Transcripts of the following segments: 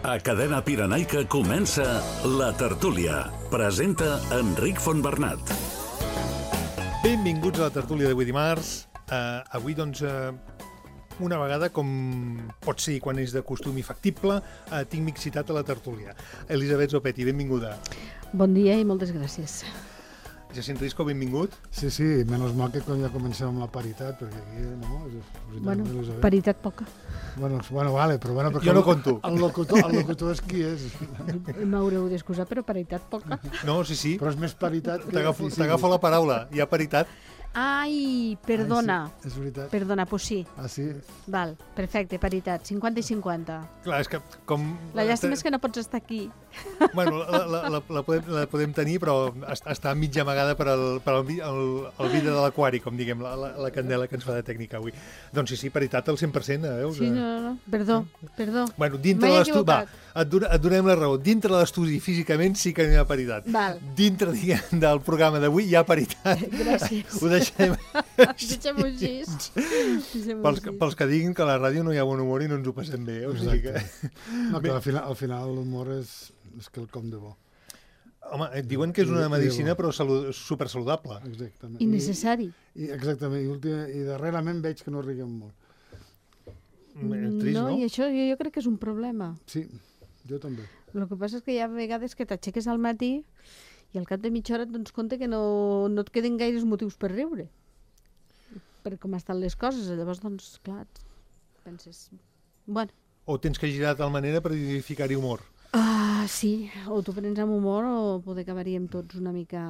A Cadena Pirenaica comença La Tertúlia. Presenta Enric Fontbernat. Benvinguts a la tertúlia d'avui dimarts. Avui, doncs, una vegada, com pot ser quan és de costum i factible, tinc mixitat a la tertúlia. Elisabet Zopetti, benvinguda. Bon dia i moltes gràcies. Jacint Risco, benvingut. Sí, menys mal que quan ja comencem amb la paritat, perquè aquí, no? Bueno, paritat poca. Bueno, vale, però bueno... Jo no conto. El locutor és qui és. M'haureu d'excusar, però paritat poca. No, sí. Però és més paritat que... T'agafo la paraula, hi ha paritat. Ai, perdona. Sí, és veritat. Perdona, pues sí. Ah, sí? Val, perfecte, paritat, 50 i 50. Clar, és que com... La llàstima és que no pots estar aquí. Bueno, la podem tenir, però està mig amagada per el vidre de l'aquari, com diguem, la candela que ens fa de tècnica avui. Doncs sí, paritat al 100%, veus? Sí, no. Perdó. Bueno, dintre de l'estudi... Va, et donem la raó. Dintre de l'estudi, físicament, sí que hi ha paritat. Val. Dintre, diguem, del programa d'avui hi ha paritat. Gràcies. Ho deixem... Deixem-ho així. Pels que diguin que a la ràdio no hi ha bon humor i no ens ho passem bé. O sigui que... No, que al final l'humor és quelcom de bo. Home, diuen que és una medicina però supersaludable. Exactament. I necessari. Exactament. I darrerament veig que no riguem molt. Trist, no? I això jo crec que és un problema. Sí, jo també. El que passa és que hi ha vegades que t'aixeques al matí i al cap de mitja hora et dones compte que no et queden gaires motius per riure. Per com estan les coses. Llavors, doncs, clar, penses... Bueno. O tens que girar de tal manera per identificar-hi humor. Sí, o t'ho prens amb humor o poder acabaríem tots una mica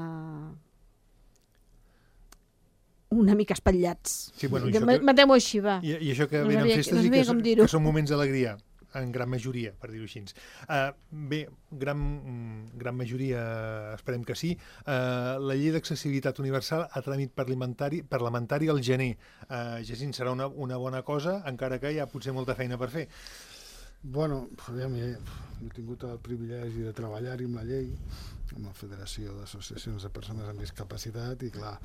espatllats. Sí, bueno, Matem-ho així, va. I això que venen festes i que són moments d'alegria, en gran majoria, per dir-ho així. Bé, gran majoria, esperem que sí. La llei d'accessibilitat universal a tràmit parlamentari al gener. Jacint, serà una bona cosa, encara que hi ha potser molta feina per fer. Bueno, jo he tingut el privilegi de treballar-hi amb la llei, amb la Federació d'Associacions de Persones amb Discapacitat, i clar,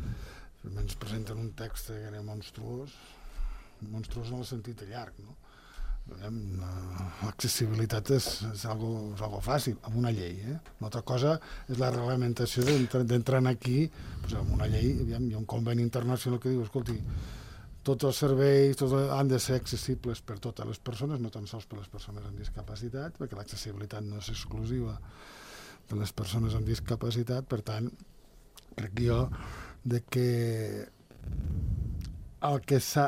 ens presenten un text que era monstruós en el sentit llarg, no? L'accessibilitat és algo fàcil, amb una llei. Una altra cosa és la reglamentació d'entrar aquí, amb una llei, hi ha un conveni internacional que diu, escolti, tots els serveis han de ser accessibles per totes les persones, no tan sols per les persones amb discapacitat, perquè l'accessibilitat no és exclusiva de les persones amb discapacitat. Per tant, crec jo que el que s'ha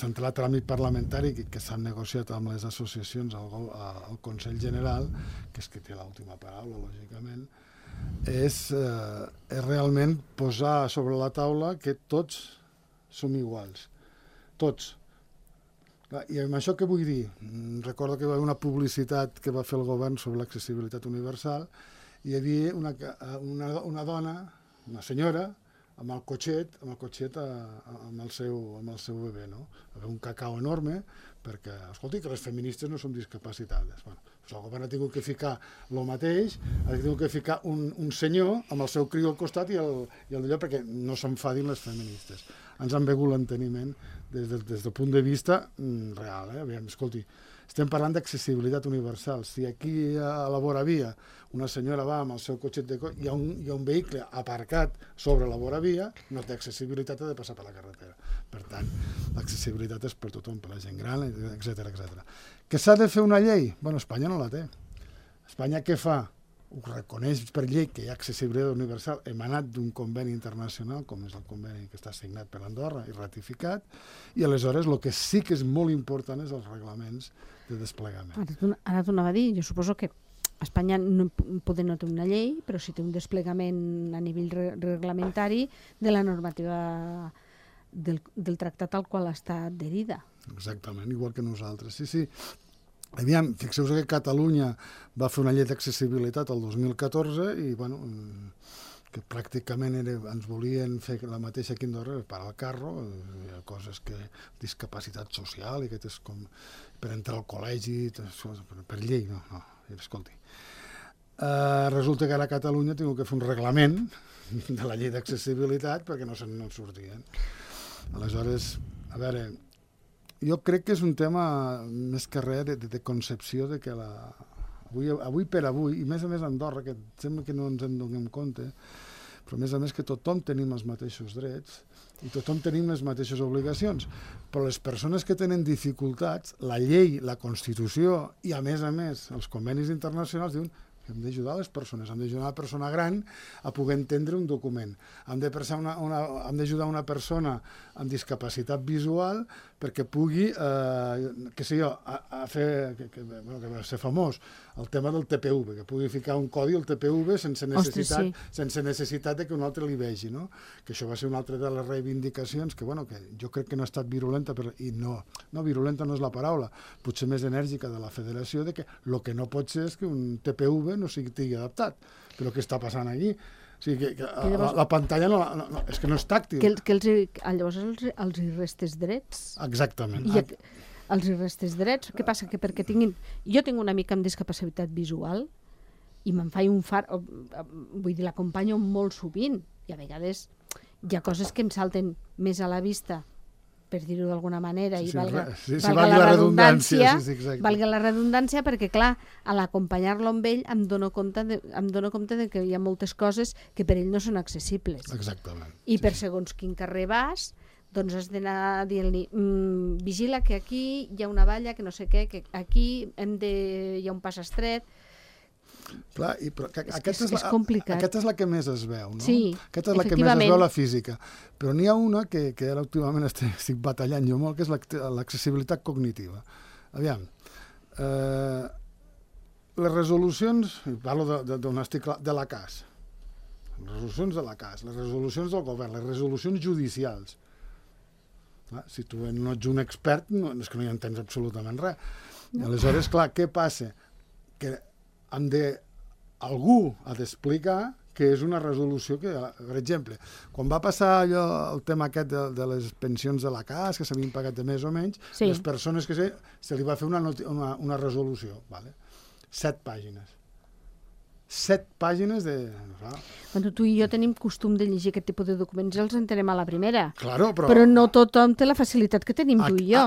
entrat a tràmit parlamentari i que s'ha negociat amb les associacions al Consell General, que és qui té l'última paraula, lògicament, és realment posar sobre la taula que tots som iguals. Tots. I amb això què vull dir? Recordo que hi va haver una publicitat que va fer el govern sobre l'accessibilitat universal i hi havia una dona, una senyora, amb el cotxet amb el seu bebè, no? Hi havia un cacau enorme perquè, escolti, que les feministes no som discapacitades. Bueno, el govern ha tingut que ficar el mateix, ha tingut que ficar un senyor amb el seu criu al costat i el d'allò perquè no s'enfadin les feministes. Ens han begut l'enteniment des del punt de vista real. Aviam, escolti, estem parlant d'accessibilitat universal. Si aquí a la voravia una senyora va amb el seu cotxet hi ha un vehicle aparcat sobre la voravia, no té accessibilitat, ha de passar per la carretera. Per tant, l'accessibilitat és per tothom, per la gent gran, etc. Que s'ha de fer una llei? Bueno, Espanya no la té. Espanya què fa? Ho reconeix per llei que hi ha accessibilitat universal emanat d'un conveni internacional, com és el conveni que està signat per Andorra i ratificat, i aleshores el que sí que és molt important és els reglaments de desplegament. Ara t'ho anava a dir, jo suposo que Espanya poder no té una llei, però sí té un desplegament a nivell reglamentari de la normativa del tractat al qual està adherida. Exactament, igual que nosaltres. Sí. Aviam, fixeu-vos que Catalunya va fer una llei d'accessibilitat el 2014 i, bueno, que pràcticament ens volien fer la mateixa aquí a Andorra, parar el carro, hi ha coses que... discapacitat social, i que és com per entrar al col·legi, per llei, no, escolti. Resulta que ara a Catalunya ha tingut que fer un reglament de la llei d'accessibilitat perquè no se'n sortien. Aleshores, a veure... Jo crec que és un tema més que res de concepció de que avui per avui, i a més Andorra, que sembla que no ens en donem compte, però a més que tothom tenim els mateixos drets i tothom tenim les mateixes obligacions, però les persones que tenen dificultats, la llei, la Constitució i a més els convenis internacionals diuen que hem d'ajudar les persones, hem d'ajudar una persona gran a poder entendre un document, hem d'ajudar una persona amb discapacitat visual perquè pugui, què sé jo, a fer, que va ser famós, el tema del TPV, que pugui ficar un codi al TPV sense necessitat de que un altre li vegi, no? Que això va ser una altra de les reivindicacions que jo crec que no ha estat virulenta, i no virulenta no és la paraula, potser més enèrgica de la federació, de que el que no pot ser és que un TPV no sigui adaptat, però què està passant aquí? O sigui, que la pantalla és que no és tàctil. Llavors els hi restes drets. Exactament. Els hi restes drets. Què passa? Que perquè tinguin... Jo tinc una mica amb discapacitat visual i me'n faig un far... Vull dir, l'acompanyo molt sovint i a vegades hi ha coses que em salten més a la vista, per dir-ho d'alguna manera, i valga la redundància, valga la redundància, perquè, clar, a l'acompanyar-lo amb ell em dono compte de que hi ha moltes coses que per ell no són accessibles. Exactament. I per segons quin carrer vas, doncs has d'anar dient-li vigila que aquí hi ha una valla, que no sé què, que aquí hi ha un pas estret. Clar, però és complicat. Aquesta és la que més es veu, no? Sí, aquesta és la que més es veu, la física. Però n'hi ha una que ara últimament estic batallant jo molt, que és l'accessibilitat cognitiva. Aviam, les resolucions, parlo d'un article de la CAS, les resolucions de la CAS, les resolucions del govern, les resolucions judicials. Si tu no ets un expert, és que no hi entens absolutament res. Aleshores, clar, què passa? Que algú ha d'explicar que és una resolució que, per exemple, quan va passar allò, el tema aquest de les pensions de la CAS, que s'havien pagat de més o menys, les persones que se li va fer una resolució, 7 pàgines. 7 pàgines de... Quan tu i jo tenim costum de llegir aquest tipus de documents i els entenem a la primera. Claro, però no tothom té la facilitat que tenim tu i jo,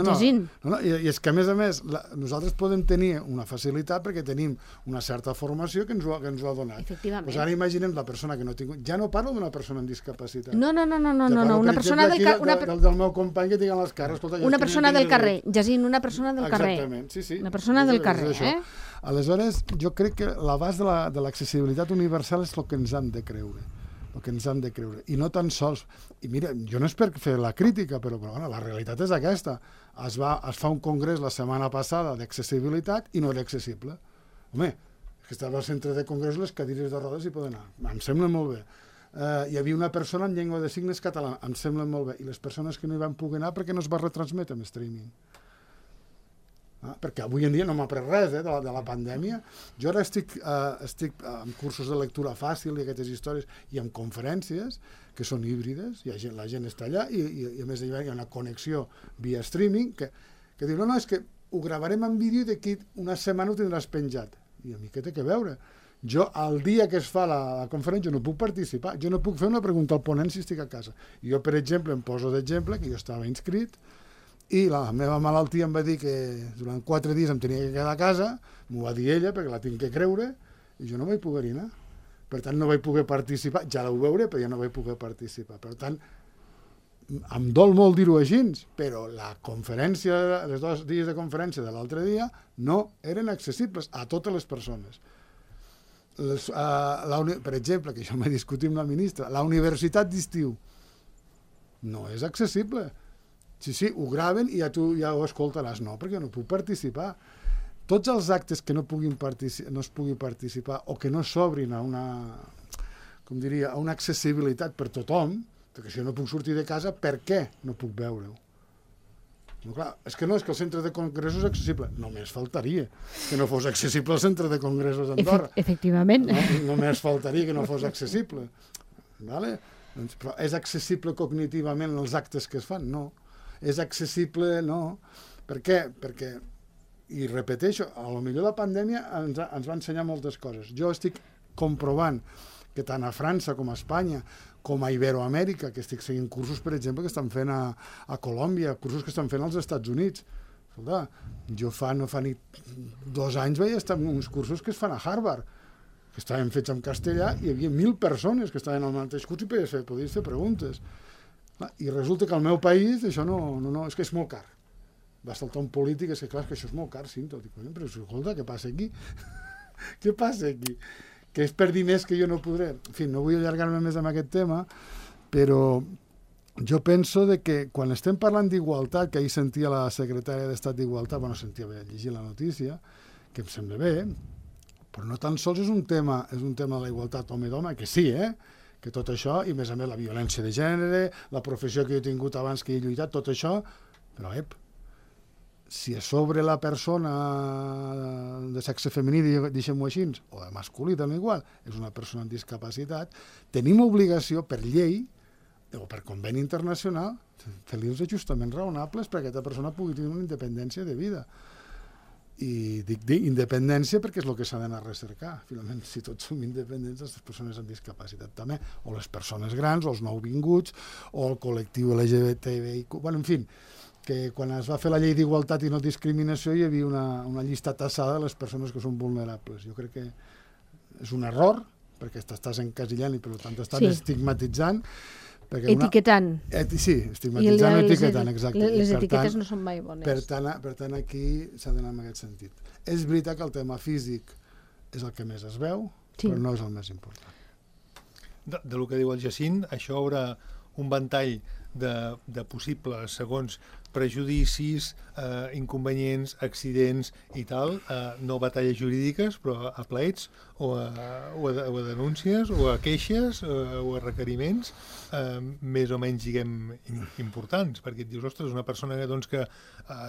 llegint. I és que, a més, nosaltres podem tenir una facilitat perquè tenim una certa formació que ens ho ha donat. Efectivament. Doncs ara imaginem la persona que no tinc... Ja no parlo d'una persona amb discapacitat. No. Una persona del carrer... Del meu company que tinc a les cares. Una persona del carrer, llegint una persona del carrer. Exactament, sí. Una persona del carrer, Aleshores, jo crec que l'abast de l'accessibilitat universal és el que ens hem de creure. I no tan sols... I mira, jo no és per fer la crítica, però la realitat és aquesta. Es fa un congrés la setmana passada d'accessibilitat i no era accessible. Home, que estava al centre de congrés, les cadires de rodes hi poden anar. Em sembla molt bé. Hi havia una persona en llengua de signes catalana. Em sembla molt bé. I les persones que no hi van poder anar perquè no es va retransmetre en streaming. Perquè avui en dia no m'ha après res de la pandèmia. Jo ara estic en cursos de lectura fàcil i aquestes històries i en conferències que són híbrides, la gent està allà i a més hi ha una connexió via streaming que diu, no, és que ho gravarem en vídeo i d'aquí una setmana ho tindràs penjat. I a mi què té que veure? Jo, el dia que es fa la conferència, no puc participar, jo no puc fer una pregunta al ponent si estic a casa. Jo, per exemple, em poso d'exemple que jo estava inscrit i la meva malaltia em va dir que durant 4 dies em tenia que quedar a casa, m'ho va dir ella perquè la tinc que creure, i jo no vaig poder anar. Per tant, no vaig poder participar, ja ho veuré, però ja no vaig poder participar. Per tant, em dol molt dir-ho així, però la conferència, els 2 dies de conferència de l'altre dia no eren accessibles a totes les persones. Per exemple, que això m'he discutit amb la ministra, la universitat d'estiu no és accessible. Sí, ho graven i ja ho escoltaràs. No, perquè no puc participar. Tots els actes que no es pugui participar o que no s'obrin a una accessibilitat per tothom, perquè si jo no puc sortir de casa, per què no puc veure-ho? No, clar, és que el centre de congressos és accessible. Només faltaria que no fos accessible el centre de congressos d'Andorra. Efectivament. Només faltaria que no fos accessible. Però és accessible cognitivament els actes que es fan? No. És accessible, no. Per què? Perquè, i repeteixo, a lo millor la pandèmia ens va ensenyar moltes coses. Jo estic comprovant que tant a França com a Espanya, com a Iberoamèrica, que estic seguint cursos, per exemple, que estan fent a Colòmbia, cursos que estan fent als Estats Units. Escolta, jo no fa ni 2 anys vaig estar en uns cursos que es fan a Harvard, que estaven fets en castellà, i hi havia 1.000 persones que estaven al mateix curs i podies fer preguntes. I resulta que al meu país això no, és que és molt car. Va saltar un polític, és que clar, que això és molt car, Cinto. Dic, però escolta, què passa aquí? Què passa aquí? Que és per diners que jo no podré. En fi, no vull allargar-me més amb aquest tema, però jo penso que quan estem parlant d'igualtat, que ahir sentia la secretària d'Estat d'Igualtat, vaig llegir la notícia, que em sembla bé, però no tan sols és un tema de la igualtat home-doma, que sí, que tot això, i a més la violència de gènere, la professió que jo he tingut abans que he lluitat, tot això, però si a sobre la persona de sexe femení, deixem-ho així, o de masculí també igual, és una persona amb discapacitat, tenim obligació per llei o per conveni internacional fer-li els ajustaments raonables perquè aquesta persona pugui tenir una independència de vida. I dic independència perquè és el que s'ha d'anar a recercar. Finalment, si tots som independents, les persones amb discapacitat també, o les persones grans, o els nouvinguts, o el col·lectiu LGBTI. Bueno, en fi, que quan es va fer la llei d'igualtat i no discriminació hi havia una llista tassada de les persones que són vulnerables. Jo crec que és un error, perquè t'estàs encasillant i per tant t'estàs estigmatitzant. Etiquetant. Sí, estigmatitzant o etiquetant, exacte. Les etiquetes no són mai bones. Per tant, aquest s'ha d'anar en aquest sentit. És veritat que el tema físic és el que més es veu, però no és el més important. Del que diu el Jacint, això haurà un ventall de possibles, segons prejudicis, inconvenients, accidents i tal, no batalles jurídiques, però a plets o a denúncies o a queixes o a requeriments més o menys, diguem, importants, perquè et dius, ostres, una persona que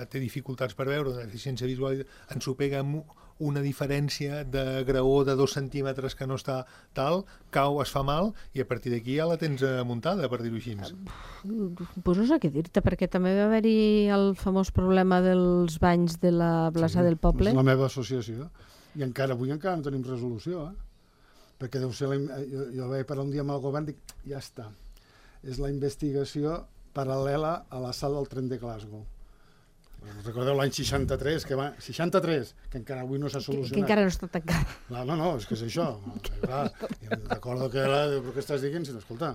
té dificultats per veure, una deficiència visual, ensopega amb una diferència de graó de 2 centímetres que no està tal, cau, es fa mal, i a partir d'aquí ja la tens muntada, per dir-ho així. Pues no sé què dir-te, perquè també va haver-hi el famós problema dels banys de la plaça del poble. És la meva associació, i avui encara no tenim resolució, perquè deu ser, jo vaig parlar un dia amb el govern, dic, ja està, és la investigació paral·lela a la sala del tren de Glasgow. Recordeu l'any 63, que encara avui no s'ha solucionat. Que encara no està tancat. No, és que és això. Recordo que però què estàs dient? Escolta,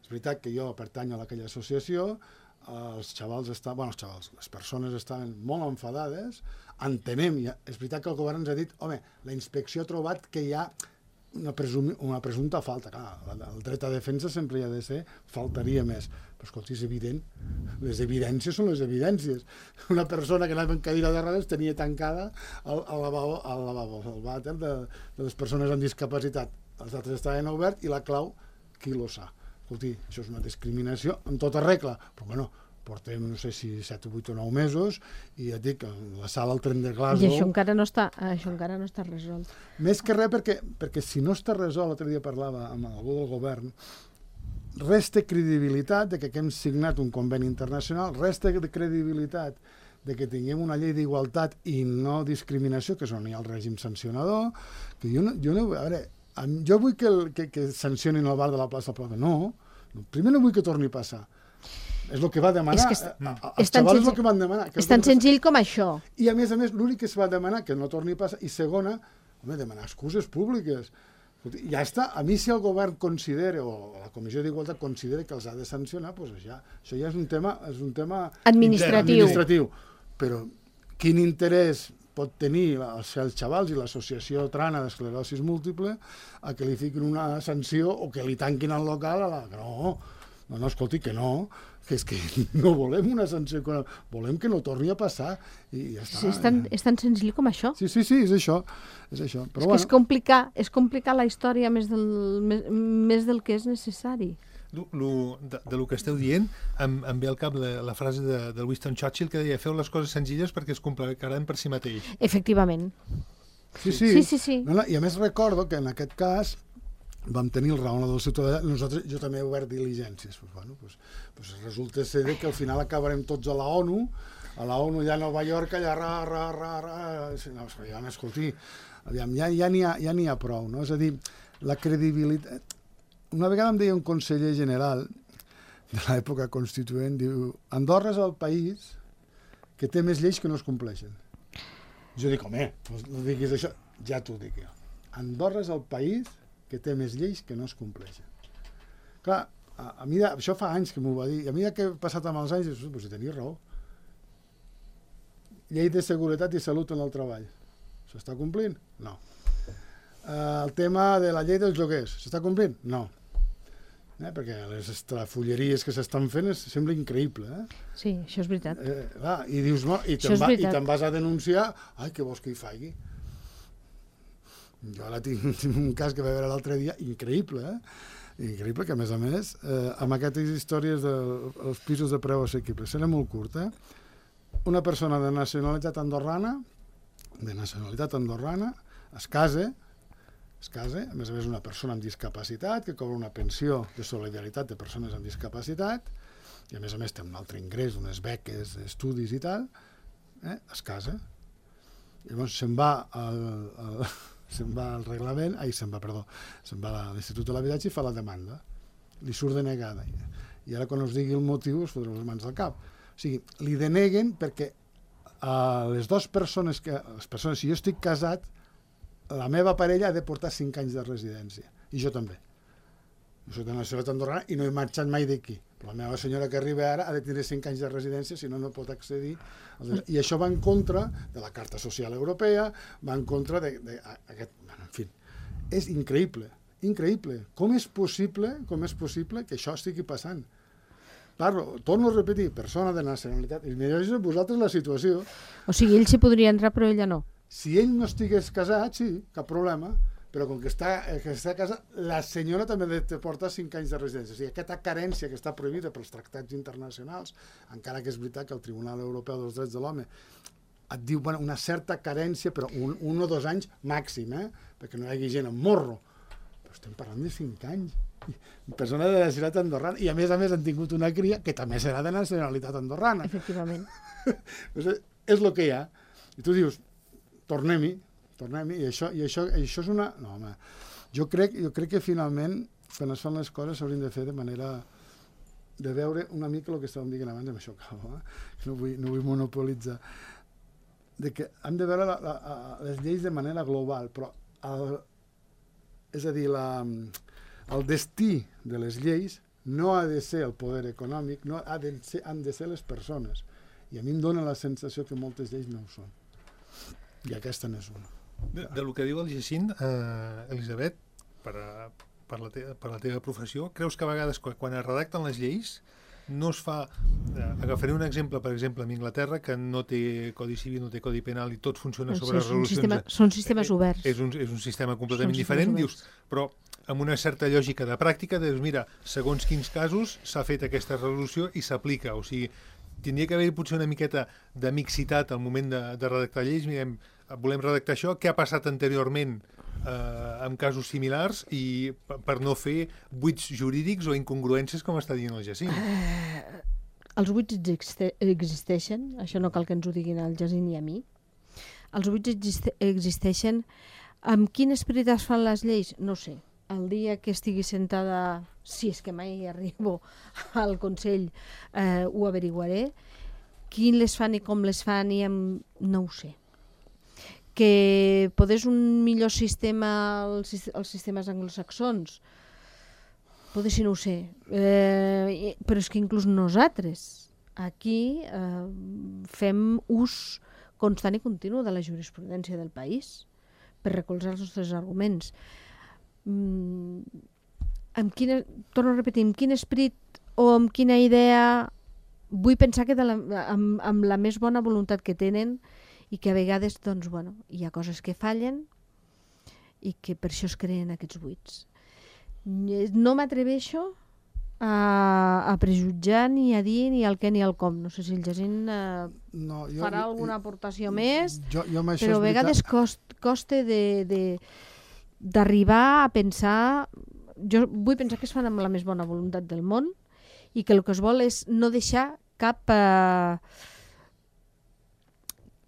és veritat que jo pertanyo a aquella associació, les persones estaven molt enfadades, entenem, és veritat que el govern ens ha dit, home, la inspecció ha trobat que hi ha una presumpta falta. Clar, el dret a defensa sempre hi ha de ser, faltaria més. Però escolta, és evident, les evidències són les evidències. Una persona que anava en cadira de rodes tenia tancada el lavabo, el vàter de les persones amb discapacitat. Els altres estaven oberts i la clau, qui lo sap? Escolti, això és una discriminació en tota regla, però bueno, portem, no sé si 7 o 8 o 9 mesos, i ja et dic, la sala al tren de Glasgow... I això encara no està resolt. Més que res perquè si no està resolt, l'altre dia parlava amb algú del govern, resta credibilitat de que hem signat un conveni internacional, resta credibilitat de que tinguem una llei d'igualtat i no discriminació, que és on hi ha el règim sancionador, que jo vull que sancionin el bar de la plaça Plata. No, primer no vull que torni a passar. És el que va demanar. Els xavals és el que van demanar. És tan senzill com això. I a més, l'únic que es va demanar, que no torni a passar, i segona, demanar excuses públiques. Ja està, a mi si el govern considera, o la Comissió d'Igualtat considera que els ha de sancionar, doncs això ja és un tema administratiu. Però quin interès pot tenir els xavals i l'associació Trana d'Esclerosis Múltiple a que li fiquin una sanció o que li tanquin el local? No, escolti, que no, que és que no volem una sanció, volem que no torni a passar i ja està. Sí, és tan senzill com això. Sí, és això. Però és complicar la història més del que és necessari. De lo que esteu dient, em ve al cap la frase del Winston Churchill que deia: feu les coses senzilles perquè es complicaran per si mateix. Efectivament. Sí. I a més recordo que en aquest cas vam tenir el raó del ciutadà, jo també he obert diligències. Resulta ser que al final acabarem tots a la ONU allà a Nova York, allà escolti, ja n'hi ha prou, no? És a dir, la credibilitat... Una vegada em deia un conseller general de l'època constituent, diu, Andorra és el país que té més lleis que no es compleixen. Jo dic, home, no diguis això, ja t'ho dic jo. Andorra és el país que té més lleis que no es compleixen. Clar, a mi això fa anys que m'ho va dir, i a mi que he passat amb els anys, doncs si tenia raó. Llei de seguretat i salut en el treball. S'està complint? No. El tema de la llei dels lloguers, s'està complint? No. Perquè les estrafulleries que s'estan fent sembla increïble. Sí, això és veritat. I dius, no, i te'n vas a denunciar, ai, què vols que hi faci? Jo ara tinc un cas que va veure l'altre dia, increïble, increïble, que a més, amb aquestes històries dels pisos de preu assequible, serà molt curt, una persona de nacionalitat andorrana, es casa, a més una persona amb discapacitat, que cobra una pensió de solidaritat de persones amb discapacitat, i a més té un altre ingrés, unes beques, estudis i tal, es casa. Llavors se'n va al reglament, se'n va a l'Institut de l'Habitatge i fa la demanda. Li surt denegada. I ara quan us digui el motiu us fotreu les mans al cap. O sigui, li deneguen perquè les dues persones, si jo estic casat, la meva parella ha de portar 5 anys de residència. I jo també. Jo soc de nacionalitat andorrana i no he marxat mai d'aquí. Però la meva senyora que arriba ara ha de tenir 5 anys de residència, si no, no pot accedir. I això va en contra de la Carta Social Europea, va en contra d'aquest... En fi, és increïble, increïble. Com és possible que això estigui passant? Torno a repetir, persona de nacionalitat, i mireu vosaltres la situació. O sigui, ell s'hi podria entrar, però ella no. Si ell no estigués casat, sí, cap problema, però com que està casat, la senyora també ha de portar 5 anys de residència. O sigui, aquesta carència que està prohibida pels tractats internacionals, encara que és veritat que el Tribunal Europeu dels Drets de l'Home et diu una certa carència, però 1 o 2 anys màxim, perquè no hi hagi gent amb morro. Però estem parlant de 5 anys. Persona de nacionalitat andorrana. I a més han tingut una cria que també serà de nacionalitat andorrana. Efectivament. És el que hi ha. I tu dius, tornem-hi, i això és una... No, home, jo crec que finalment, quan es fan les coses, s'haurien de fer de manera de veure una mica el que estàvem dient abans, amb això acabo, no vull monopolitzar, de que hem de veure les lleis de manera global, però és a dir, el destí de les lleis no ha de ser el poder econòmic, no han de ser les persones. I a mi em dóna la sensació que moltes lleis no ho són. I aquesta n'és una. Del que diu el Jacint, Elisabet, per la teva professió, creus que a vegades quan es redacten les lleis no es fa... Agafaré un exemple, per exemple, en Anglaterra, que no té codi civil, no té codi penal i tot funciona sobre resolucions... Són sistemes oberts. És un sistema completament diferent, dius, però amb una certa lògica de pràctica, dius, mira, segons quins casos s'ha fet aquesta resolució i s'aplica, o sigui, tindria que haver potser una miqueta de mixitat al moment de redactar lleis, mirem, volem redactar això, què ha passat anteriorment en casos similars i per no fer buits jurídics o incongruències com està dient el Jacint. Els buits existeixen, això no cal que ens ho diguin al Jacint i a mi. Els buits existeixen. Amb quin esperit es fan les lleis? No sé. El dia que estigui sentada, si és que mai arribo al Consell, ho averiguaré. Qui les fan i com les fan, no ho sé. Que podés un millor sistema als sistemes anglosaxons, potser si no ho sé, però és que inclús nosaltres aquí fem ús constant i continu de la jurisprudència del país per recolzar els nostres arguments. Torno a repetir, amb quin esperit o amb quina idea, vull pensar que amb la més bona voluntat que tenen i que a vegades doncs, bueno, hi ha coses que fallen i que per això es creen aquests buits. No m'atreveixo a prejutjar ni a dir ni el què ni el com. No sé si el Jacint farà alguna aportació més, però a vegades costa d'arribar a pensar... Jo vull pensar que es fan amb la més bona voluntat del món i que el que es vol és no deixar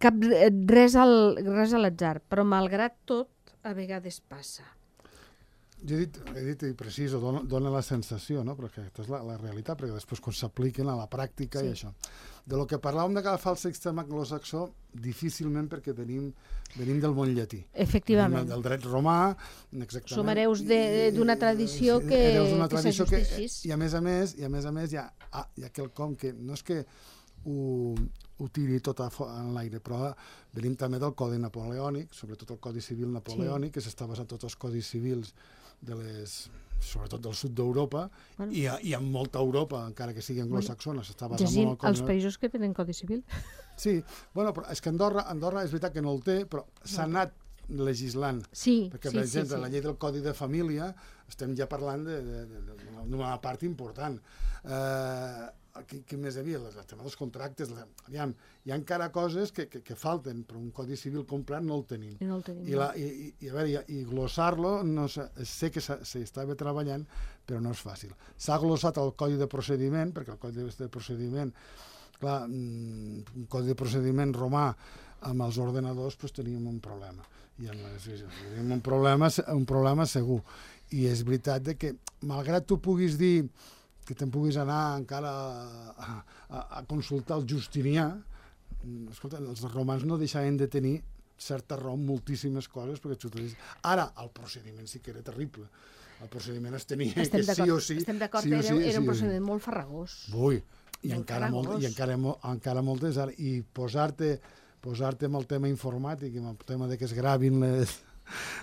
res a l'atzar, però malgrat tot a vegades passa. Jo he dit i preciso, dona la sensació, no? Però que aquesta és la realitat, perquè després quan s'apliquen a la pràctica i això. De lo que parlàvem de agafar el sistema anglosaxó, difícilment, perquè venim del món llatí. Efectivament. Del dret romà, exactament. Som hereus d'una tradició que s'ajusteixis. I a més a més hi ha quelcom que no és que ho tiri tot en l'aire, però venim també del Codi Napoleònic, sobretot el Codi Civil Napoleònic, que s'està basant tots els codis civils sobretot del sud d'Europa, i en molta Europa, encara que sigui anglosaxona, s'està basant molt en el Codi. Els països que tenen Codi Civil. Sí, bueno, però és que Andorra és veritat que no el té, però s'ha anat legislant. Perquè, per exemple, la llei del Codi de Família estem ja parlant d'una part important. Què més hi havia? El tema dels contractes. Aviam, hi ha encara coses que falten, però un codi civil complet no el tenim. I glossar-lo, sé que s'hi estava treballant, però no és fàcil. S'ha glossat el codi de procediment, perquè el codi de procediment, clar, un codi de procediment romà amb els ordenadors, doncs teníem un problema. Teníem un problema segur. I és veritat que, malgrat tu puguis dir que te'n puguis anar encara a consultar el Justinià, escolta, els romans no deixaven de tenir certa raó en moltíssimes coses, perquè ara el procediment sí que era terrible. El procediment es tenia que sí o sí. Estem d'acord, era un procediment molt farragós. Ui, i encara moltes. I posar-te amb el tema informàtic, amb el tema que es gravin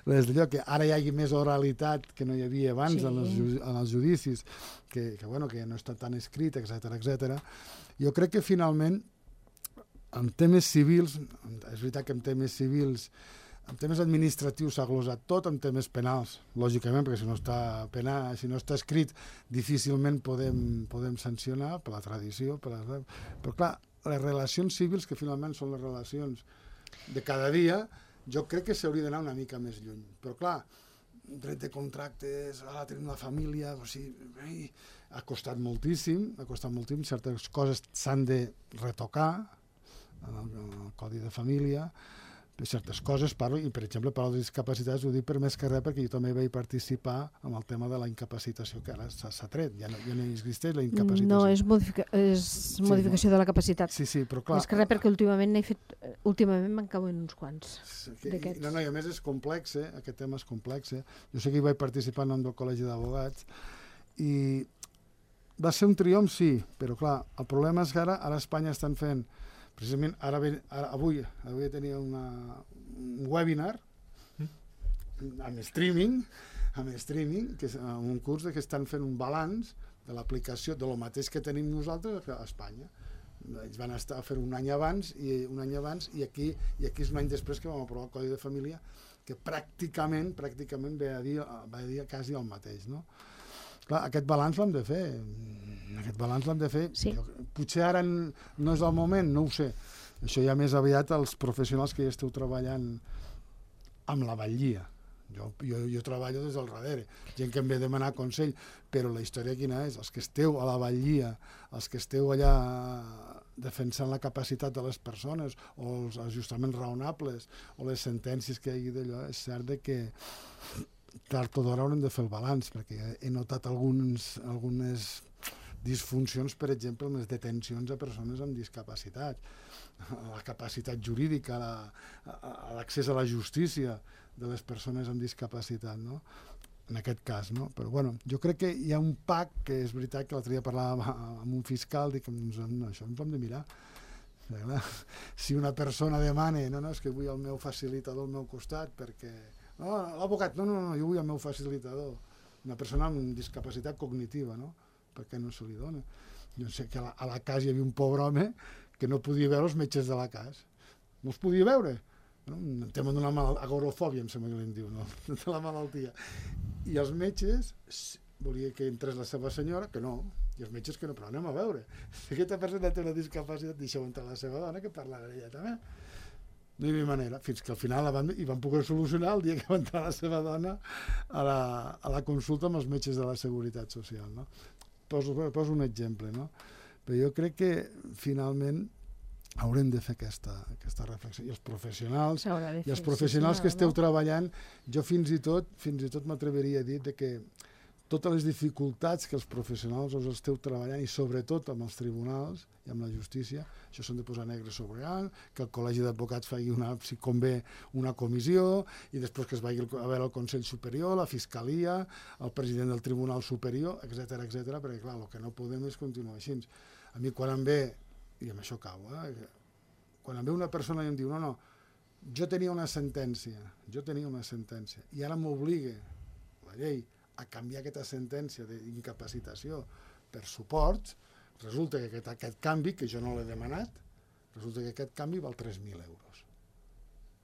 d'allò, que ara hi hagi més oralitat que no hi havia abans en els judicis, que no està tan escrit, etc. Jo crec que finalment en temes civils, és veritat que en temes civils, en temes administratius s'ha glosat tot, en temes penals, lògicament, perquè si no està escrit difícilment podem sancionar per la tradició, però clar, les relacions civils, que finalment són les relacions de cada dia, jo crec que s'hauria d'anar una mica més lluny. Però clar, dret de contractes, ara tenim la família, ha costat moltíssim, certes coses s'han de retocar en el Codi de Família, certes coses parlo, i per exemple parlo de discapacitats, ho dic per més que res perquè jo també vaig participar en el tema de la incapacitació, que ara s'ha tret, ja no existeix la incapacitació. No, és modificació de la capacitat. Sí, però clar... Més que res perquè últimament me'n cauen uns quants d'aquests. No, i a més és complex, aquest tema és complex. Jo sé que hi vaig participar en nom del Col·legi d'Advocats i va ser un triomf, sí, però clar, el problema és que ara a Espanya estan fent precisament avui tenia un webinar amb streaming, que és un curs que estan fent un balanç de l'aplicació de lo mateix que tenim nosaltres a Espanya. Ells van estar a fer un any abans i aquí és un any després que vam aprovar el Codi de Família, que pràcticament ve a dir quasi el mateix, no? Clar, aquest balanç l'hem de fer. Sí. Potser ara no és el moment, no ho sé. Això ja més aviat els professionals que ja esteu treballant amb la batllia. Jo treballo des del darrere, gent que em ve a demanar consell, però la història quina és? Els que esteu a la batllia, els que esteu allà defensant la capacitat de les persones, o els ajustaments raonables, o les sentències que hi hagi d'allò, és cert que tard o d'hora haurem de fer el balanç, perquè he notat algunes disfuncions, per exemple, en les detencions a persones amb discapacitat, la capacitat jurídica, l'accés a la justícia de les persones amb discapacitat, no? En aquest cas, no? Però bueno, jo crec que hi ha un pacte, que és veritat que l'altre dia parlava amb un fiscal, dic, això ens ho hem de mirar. Si una persona demana, és que vull el meu facilitador al meu costat, perquè no, l'advocat, no, jo vull el meu facilitador. Una persona amb discapacitat cognitiva, no? Per què no se li dona? Jo sé que a la casa hi havia un pobre home que no podia veure els metges de la casa. No els podia veure. Un tema d'una agorofòbia, em sembla que li diu, no? De la malaltia. I els metges volia que entrés la seva senyora, que no, i els metges que no, però anem a veure. Si aquesta persona té una discapacitat, deixeu entrar la seva dona, que parlarà ella també. No hi havia manera, fins que al final hi van poder solucionar el dia que va entrar la seva dona a la consulta amb els metges de la Seguretat Social, no? Poso un exemple, no? Però jo crec que finalment haurem de fer aquesta reflexió. I els professionals, que esteu treballant, jo fins i tot m'atreveria a dir que totes les dificultats que els professionals us esteu treballant, i sobretot amb els tribunals i amb la justícia, això s'han de posar negre sobre blanc, que el Col·legi d'Advocats faci si convé una comissió, i després que es vagi a veure el Consell Superior, la Fiscalia, el president del Tribunal Superior, etc, perquè clar, el que no podem és continuar així. A mi quan em ve, i amb això acabo, quan em ve una persona i em diu no, jo tenia una sentència, i ara m'obliga la llei a canviar aquesta sentència d'incapacitació per suports, resulta que aquest canvi, que jo no l'he demanat, resulta que aquest canvi val 3.000 euros.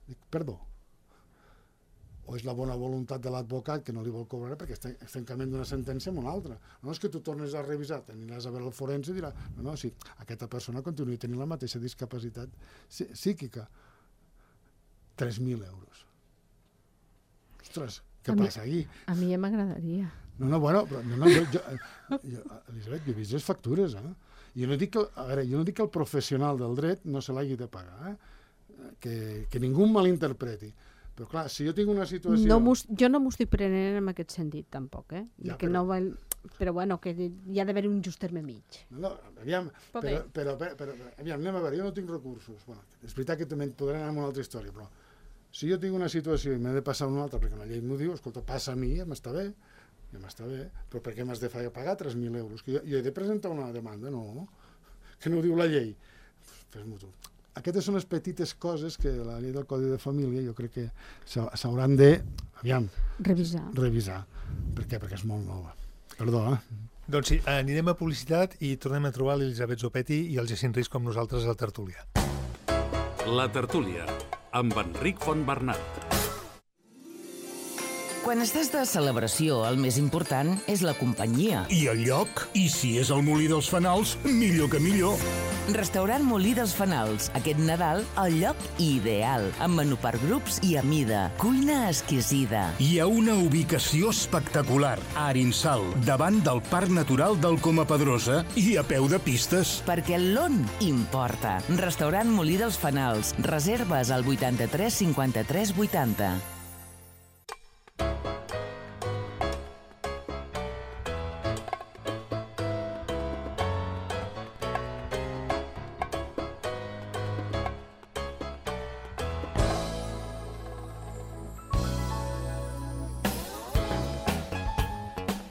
Dic, perdó. O és la bona voluntat de l'advocat que no li vol cobrar perquè estem canviant d'una sentència a una altra. No és que tu tornes a revisar, aniràs a veure el forense i dirà, no, sí, aquesta persona continua tenint la mateixa discapacitat psíquica. 3.000 euros. Ostres, què passa aquí? A mi ja m'agradaria. Elisabet, jo he vist les factures, Jo no dic que el professional del dret no se l'hagi de pagar, que ningú malinterpreti. Però clar, si jo tinc una situació... Jo no m'ho estic prenent en aquest sentit, tampoc, Però bueno, que hi ha d'haver un just terme mig. Aviam, anem a veure, jo no tinc recursos. És veritat que també podré anar amb una altra història, però si jo tinc una situació i m'he de passar a una altra perquè la llei m'ho diu, escolta, passa a mi, ja m'està bé, però per què m'has de pagar 3.000 euros? Que jo he de presentar una demanda, no, que no ho diu la llei. Fes-m'ho tu. Aquestes són les petites coses que la llei del Codi de Família jo crec que s'hauran de, revisar. Per què? Perquè és molt nova. Perdó, Doncs sí, anirem a publicitat i tornem a trobar l'Elisabet Zopetti i el Jacint Risco amb nosaltres a la tertúlia. La tertúlia, amb Enric Fontbernat. Quan estàs de celebració, el més important és la companyia. I el lloc? I si és el Molí dels Fanals, millor que millor. Restaurant Molí dels Fanals. Aquest Nadal, el lloc ideal. Amb menú per grups i a mida. Cuina exquisida. Hi ha una ubicació espectacular. A Arinsal, davant del Parc Natural del Coma Pedrosa i a peu de pistes. Perquè l'on importa. Restaurant Molí dels Fanals. Reserves al 83 53 80.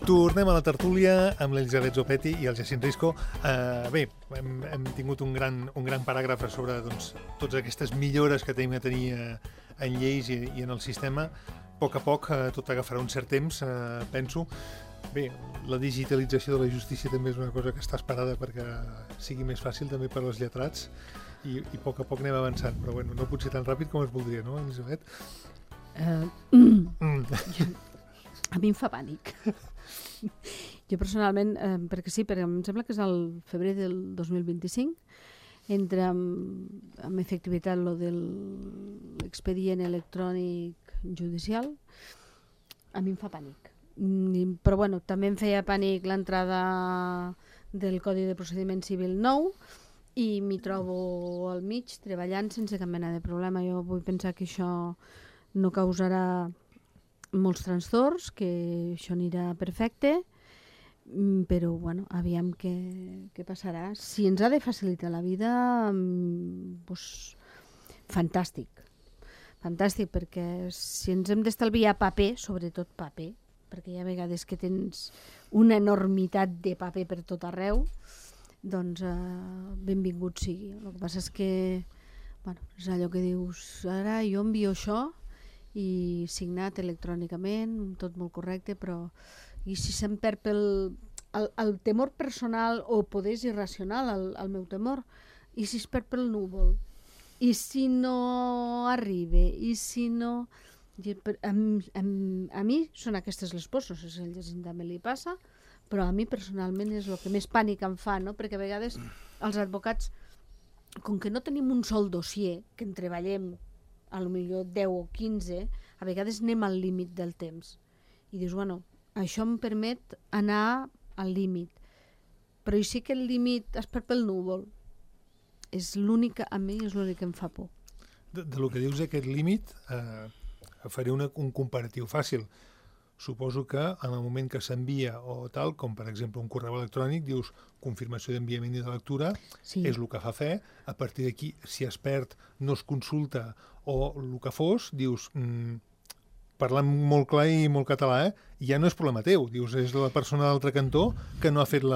Tornem a la tertúlia amb l'Elisabet Zopetti i el Jacint Risco. Bé, hem tingut un gran paràgraf sobre totes aquestes millores que tenim a tenir en lleis i en el sistema. A poc tot agafarà un cert temps, penso. Bé, la digitalització de la justícia també és una cosa que està esperada perquè sigui més fàcil també per als lletrats i a poc anem avançant, però bueno, no pot ser tan ràpid com es voldria, no, Elisabet? A mi em fa pànic. Jo personalment, perquè em sembla que és el febrer del 2025, entra amb efectivitat lo de l'expedient electrònic judicial. A mi em fa pànic. Però bueno, també em feia pànic l'entrada del Codi de Procediment Civil nou i m'hi trobo al mig treballant sense cap mena de problema. Jo vull pensar que això no causarà molts trastorns, que això anirà perfecte, però bueno, aviam què passarà. Si ens ha de facilitar la vida, doncs, fantàstic, perquè si ens hem d'estalviar paper, sobretot paper, perquè hi ha vegades que tens una enormitat de paper per tot arreu, doncs benvingut sigui. El que passa és que és allò que dius, ara jo envio això i signat electrònicament, tot molt correcte, però i si se'm perd el temor personal o poder és irracional, el meu temor, i si es perd pel núvol, i si no arriba, i si no... A mi són aquestes les pors, no sé si a Jacint també li passa, però a mi personalment és el que més pànic em fa, no? Perquè a vegades els advocats, com que no tenim un sol dossier, que en treballem a lo millor 10 o 15, a vegades anem al límit del temps. I dius, bueno, això em permet anar al límit. Però i sí que el límit es perd pel núvol. és l'únic, a mi és l'únic que em fa por. Del que dius aquest límit, faré un comparatiu fàcil. Suposo que en el moment que s'envia o tal, com per exemple un correu electrònic, dius confirmació d'enviament i de lectura, és el que fa fe. A partir d'aquí, si es perd, no es consulta o el que fos, dius, parlant molt clar i molt català, ja no és problema teu. Dius, és la persona d'altre cantó que no ha fet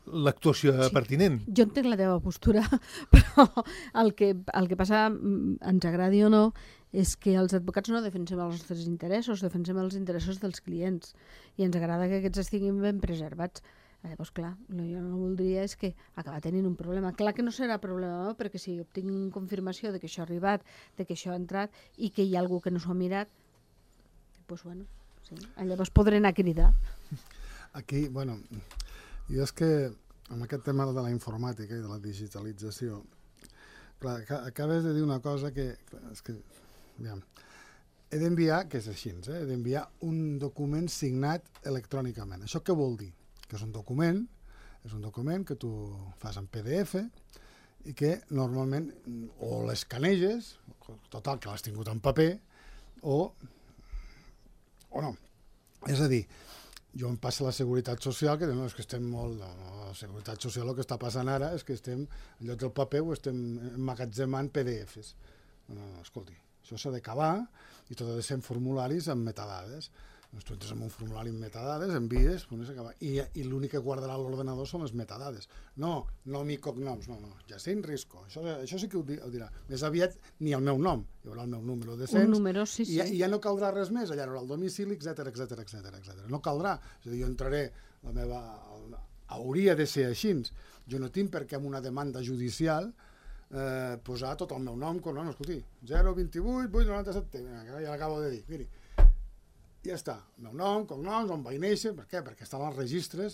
l'actuació pertinent. Jo entenc la teva postura, però el que passa, ens agradi o no, és que els advocats no defensem els nostres interessos, defensem els interessos dels clients i ens agrada que aquests estiguin ben preservats. Llavors, clar, jo no voldria és que acaba tenint un problema. Clar que no serà problema meu, perquè si obtinc confirmació de que això ha arribat, de que això ha entrat i que hi ha algú que no s'ho ha mirat, doncs bueno, sí. Llavors podré anar a cridar. Aquí, bueno, jo és que amb aquest tema de la informàtica i de la digitalització, clar, acabes de dir una cosa que és que he d'enviar, que és així, he d'enviar un document signat electrònicament. Això què vol dir? Que és un document que tu fas en PDF i que normalment o l'escaneges, total, que l'has tingut en paper, o no. És a dir, jo em passa la Seguretat Social, que no, és que estem molt... La Seguretat Social el que està passant ara és que estem, en lloc del paper, ho estem emmagatzemant PDFs. No, escolti, això s'ha d'acabar i tot ha de ser en formularis amb metadades. Doncs tu entres en un formulari amb metadades, envies, i l'únic que guardarà l'ordenador són les metadades. No, nom i cognoms, no, Jacint Risco, això sí que ho dirà. Més aviat ni el meu nom, hi haurà el meu número de cens, un número, sí. I ja no caldrà res més, allà hi haurà el domicili, etc. No caldrà, és a dir, jo entraré, la meva... Hauria de ser així. Jo no tinc per què amb una demanda judicial posar tot el meu nom, escolti, 028 897, ja l'acabo de dir, miri, ja està, el meu nom, cognoms, on vaig néixer, per què? Perquè estan als registres,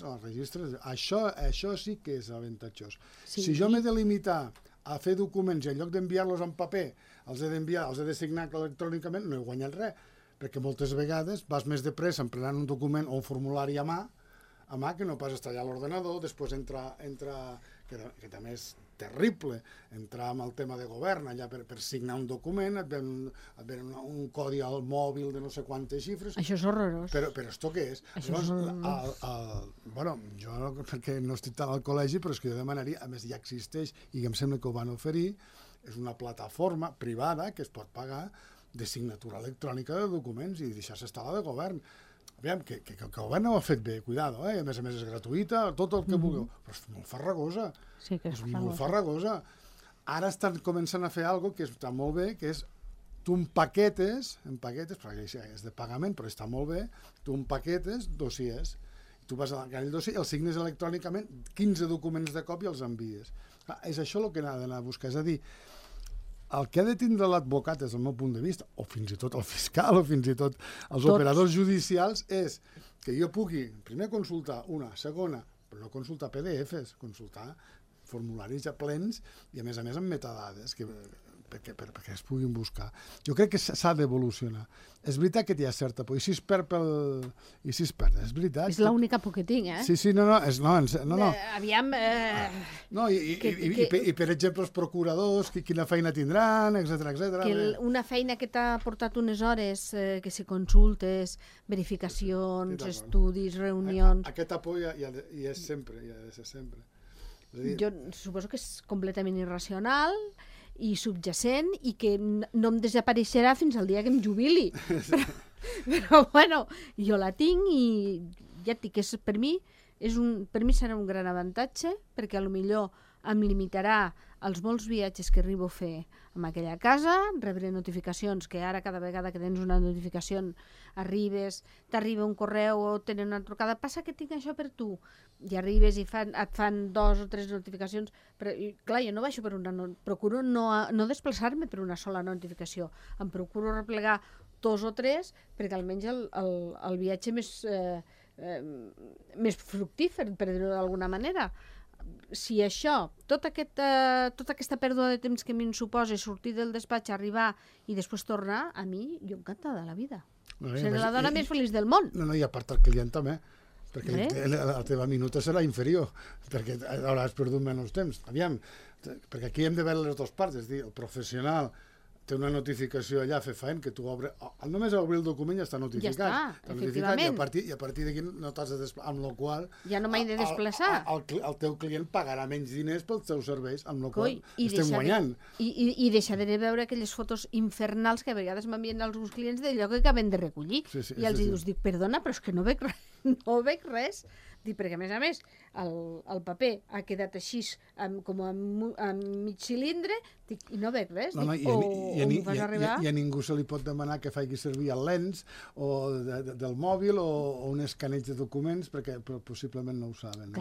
això sí que és avantatjós. Sí. Si jo m'he de limitar a fer documents i en lloc d'enviar-los en paper, els he de signar electrònicament, no he guanyat res, perquè moltes vegades vas més de pressa emprenant un document o un formulari a mà que no pas estar allà a l'ordenador, després entra que també és terrible, entrar amb el tema de govern allà per signar un document, et ven un codi al mòbil de no sé quantes xifres. Això és horrorós. Però esto què és? Bueno, jo perquè no estic tant al col·legi, però és que jo demanaria, a més ja existeix i em sembla que ho van oferir, és una plataforma privada que es pot pagar de signatura electrònica de documents i deixar-se estar la de govern. Aviam, que el govern no ho ha fet bé, cuidado, a més és gratuïta, tot el que vulgueu, però és molt farragosa. Sí, que és molt farragosa. Ara estan començant a fer alguna cosa que està molt bé, que és tu empaquetes, perquè és de pagament, però està molt bé, tu empaquetes dossiers. Tu vas a aquell dossier, el signes electrònicament, 15 documents de cop i els envies. És això el que ha d'anar a buscar, és a dir, el que ha de tindre l'advocat, des del meu punt de vista, o fins i tot el fiscal, o fins i tot els operadors judicials, és que jo pugui primer consultar una, segona, però no consultar PDFs, consultar formularis ja plens i a més amb metadades perquè es puguin buscar. Jo crec que s'ha d'evolucionar. És veritat que hi ha certa por. I si es perd, és veritat. És l'única por que tinc, Sí, no. Aviam... I per exemple, els procuradors, quina feina tindran, etc. Una feina que t'ha portat unes hores, que si consultes, verificacions, estudis, reunions... Aquesta por hi és sempre, hi ha de ser sempre. Jo suposo que és completament irracional i subjacent i que no em desapareixerà fins al dia que em jubili. Però bueno, jo la tinc i ja et dic que per mi serà un gran avantatge perquè potser em limitarà els molts viatges que arribo a fer en aquella casa, rebre notificacions, que ara cada vegada que tens una notificació t'arriba un correu o tenen una trucada, passa que tinc això per tu, i arribes i et fan 2 o 3 notificacions, però clar, jo no baixo procuro no desplaçar-me per una sola notificació, em procuro replegar 2 o 3 perquè almenys el viatge més fructífer, per dir-ho d'alguna manera. Si això, tota aquesta pèrdua de temps que a mi em suposa sortir del despatx, arribar i després tornar, a mi, jo encantada de la vida. Seré la dona més feliç del món. No, i a part el client també. perquè la teva minuta serà inferior, perquè hauràs perdut menys temps. Aviam, perquè aquí hem de veure les dues parts, és dir, el professional té una notificació allà, fer feina, que tu obres... Només obrir el document ja està notificat. Ja està, efectivament. I a partir d'aquí no t'has de desplaçar, amb la qual ja no m'he de desplaçar. El teu client pagarà menys diners pels teus serveis, amb la qual estem guanyant. I deixaré de veure aquelles fotos infernals que a vegades m'envien alguns clients d'allò que acaben de recollir. I els dic, perdona, però és que no veig res. Dic, perquè a més, el paper ha quedat així com en mig cilindre, dic, i no veig res. I a ningú se li pot demanar que faci servir el lens del mòbil o un escaneig de documents, perquè possiblement no ho saben.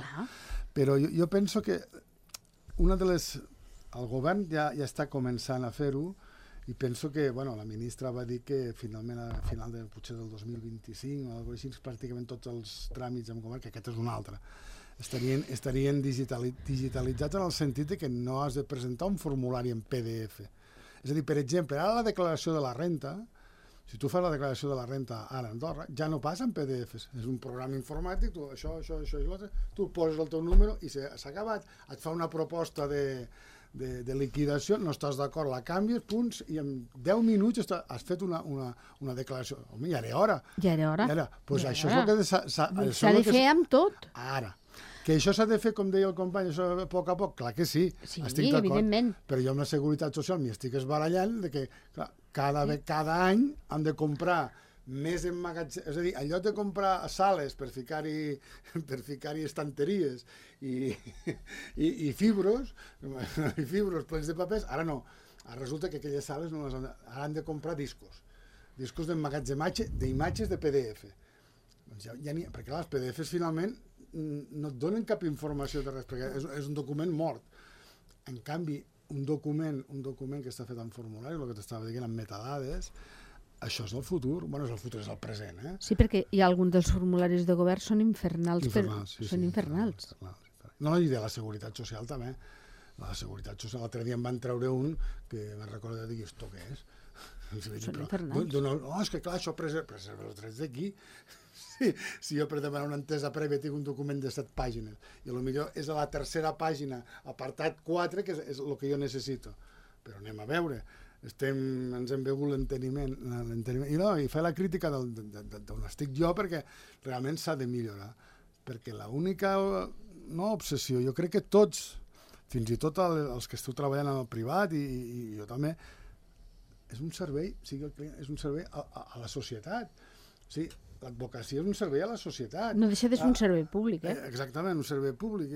Però jo penso que el govern ja està començant a fer-ho, i penso que la ministra va dir que finalment a final potser del 2025 o alguna cosa així, pràcticament tots els tràmits amb govern, que aquest és un altre, estarien digitalitzats en el sentit que no has de presentar un formulari en PDF. És a dir, per exemple, ara la declaració de la renta, si tu fas la declaració de la renta ara a Andorra, ja no passa en PDFs, és un programa informàtic, tu això i l'altre, tu poses el teu número i s'ha acabat, et fa una proposta de liquidació, no estàs d'acord, la canvies, punts, i en 10 minuts has fet una declaració. Home, ja era hora. Doncs això és el que s'ha de fer amb tot. Ara, que això s'ha de fer, com deia el company, això a poc a poc, clar que sí, estic d'acord, evidentment. Però jo amb la Seguretat Social m'hi estic esbarallant de que cada any han de comprar més emmagatzem, és a dir, en lloc de comprar sales per ficar-hi estanteries i fibros plens de papers, ara no. Ara resulta que aquelles sales ara han de comprar discos d'emmagatzematge d'imatges de PDF. Perquè els PDFs finalment no et donen cap informació de res, perquè és un document mort. En canvi, un document que està fet en formulari, el que t'estava dient, en metadades, això és el futur, és el futur, és el present. Sí, perquè hi ha alguns dels formularis de govern són infernals. Són infernals. No, i de la Seguretat Social també. La Seguretat Social, l'altre dia em van treure un que me'n recordo de dir, esto què és? Són infernals. No, és que clar, això preserva els drets d'aquí. Si jo per demanar una entesa prèvia tinc un document de 7 pàgines i potser és a la tercera pàgina, apartat 4, que és el que jo necessito. Però anem a veure. Ens hem begut l'enteniment i fer la crítica d'on estic jo, perquè realment s'ha de millorar, perquè l'única obsessió, jo crec que tots, fins i tot els que esteu treballant en el privat i jo també, és un servei, és un servei a la societat. O sigui, l'advocacia és un servei a la societat. No deixa de ser un servei públic, Exactament, un servei públic.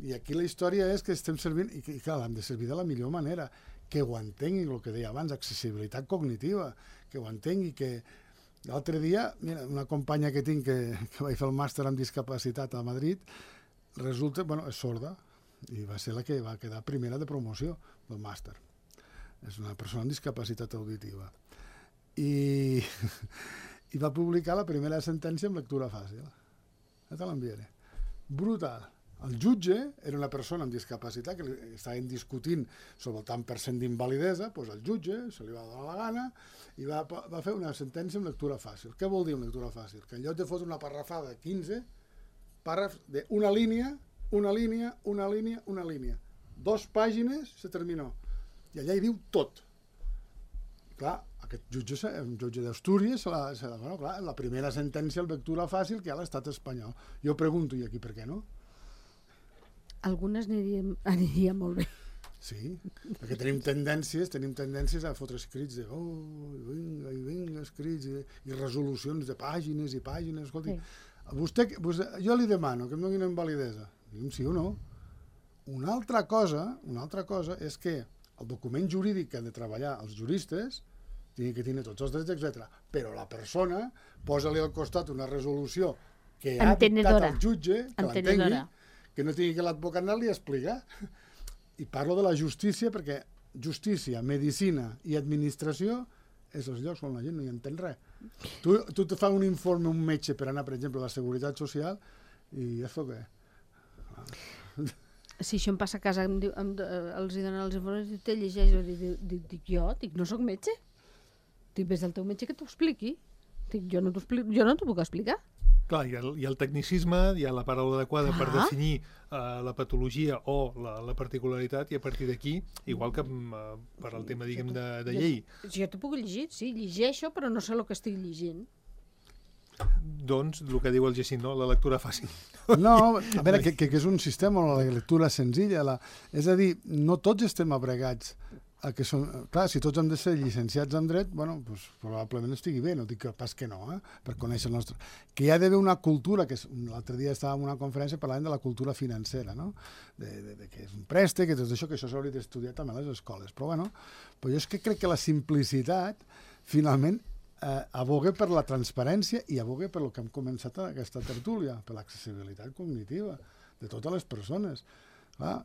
I aquí la història és que estem servint, i clar, l'hem de servir de la millor manera, que ho entengui, el que deia abans, accessibilitat cognitiva, que ho entengui, que l'altre dia, mira, una companya que tinc que vaig fer el màster en discapacitat a Madrid, resulta, és sorda, i va ser la que va quedar primera de promoció del màster. És una persona amb discapacitat auditiva. I va publicar la primera sentència en lectura fàcil. Ja te l'enviaré. Brutal. El jutge era una persona amb discapacitat que estaven discutint sobre el tant per cent d'invalidesa, doncs el jutge se li va donar la gana i va fer una sentència en lectura fàcil. Què vol dir en lectura fàcil? Que en lloc de fotre una parrafada de 15 pàrrafs d'una línia, una línia, una línia, una línia. 2 pàgines se terminó. I allà hi diu tot. Clar, aquest jutge és un jutge d'Astúries, la primera sentència en lectura fàcil que hi ha a l'estat espanyol. Jo pregunto, i aquí per què no? Algunes aniria molt bé. Sí, perquè tenim tendències a fotre escrits de vinga, escrits i resolucions de pàgines i pàgines. Escolti, jo li demano que em doni una invalidesa. Digui'm sí o no. Una altra cosa és que el document jurídic que han de treballar els juristes tingui que tenir tots els drets, etc. Però la persona posa-li al costat una resolució que ha dictat el jutge, que l'entengui, que no tingui que l'advocat anar-li a explicar. I parlo de la justícia perquè justícia, medicina i administració és els llocs on la gent no hi entén res. Tu te fa un informe un metge per anar, per exemple, a la Seguretat Social i ja fa què? Si això em passa a casa, els hi donen els informes i te llegeix, dic, no soc metge? Dic, ves al teu metge que t'ho expliqui. Dic, jo no t'ho puc explicar. Clar, hi ha el tecnicisme, hi ha la paraula adequada per definir la patologia o la particularitat, i a partir d'aquí, igual que per al tema, diguem, de llei. Jo t'ho puc llegir, sí, llegeixo, però no sé el que estic llegint. Doncs, el que diu el Jacint, no? La lectura fàcil. No, a veure, que és un sistema, la lectura senzilla. És a dir, no tots estem abregats que són... Clar, si tots hem de ser llicenciats en dret, bueno, doncs probablement estigui bé, no dic que pas que no, per conèixer el nostre... Que hi ha d'haver una cultura, que l'altre dia estàvem en una conferència parlant de la cultura financera, no? De que és un préstec, que tot això, que això s'hauria d'estudiar també a les escoles. Però bueno, jo és que crec que la simplicitat, finalment, aboga per la transparència i aboga per el que hem començat aquesta tertúlia, per l'accessibilitat cognitiva de totes les persones. Clar,